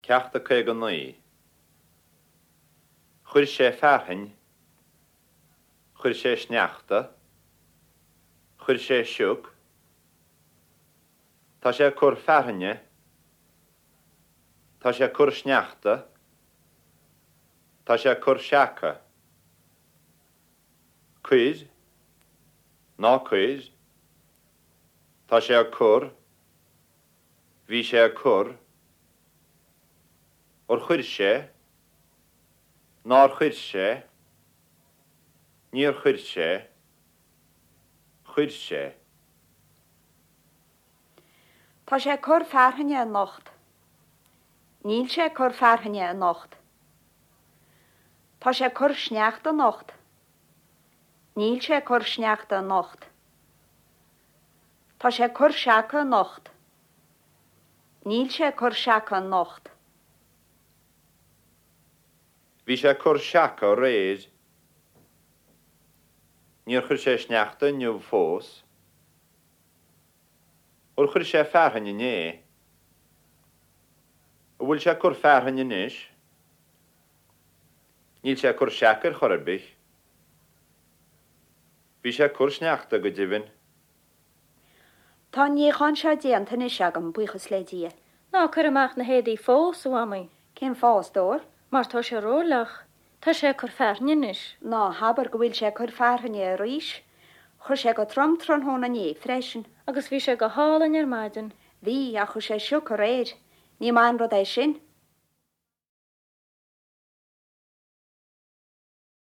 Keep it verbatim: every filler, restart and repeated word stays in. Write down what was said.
Ceacht a caoga naoi. Chuir sé fearthainn, chuir sé sneachta, chuir sé sioc, Tá sé ag cur fearthainne, Tá sé ag cur sneachta, Tá sé ag cur seaca. Cuir, ná cuir, Tá sé ag cur, bhí sé ag cur, Ar chuir sé, nár chuir sé, níor chuir sé, chuir sé. Tá sé ag cur fearthainne anocht. Níl sé ag cur fearthainne anocht. Tá sé ag cur sneachta anocht. Níl sé ag cur sneachta anocht. Tá sé ag cur seaca anocht. Níl sé ag cur seaca anocht. Bhí sé ag cur seaca aréir. Níor chuir sé sneachta inniu fós. Ar chuir sé fearthainn inné? An bhfuil sé ag cur fearthainn anois? Níl sé ag cur seaca ar chor ar bith. Bhí sé ag cur sneachta go deimhin. Tá an níochán seo déanta anois agam buíochas le Dia. Ná cuir amach na héadaí fós, a Mhamaí. Cén fáth a stór? Mar tá sé rófhliuch. Tá sé ag cur fearthainne anois. Ná habair go bhfuil sé ag cur fearthainne arís. Chuir sé go trom tráthnóna inné freisin. Agus bhí sé go hálainn ar maidin. Bhí ach chuir sé sioc aréir. Ní maith an rud é sin.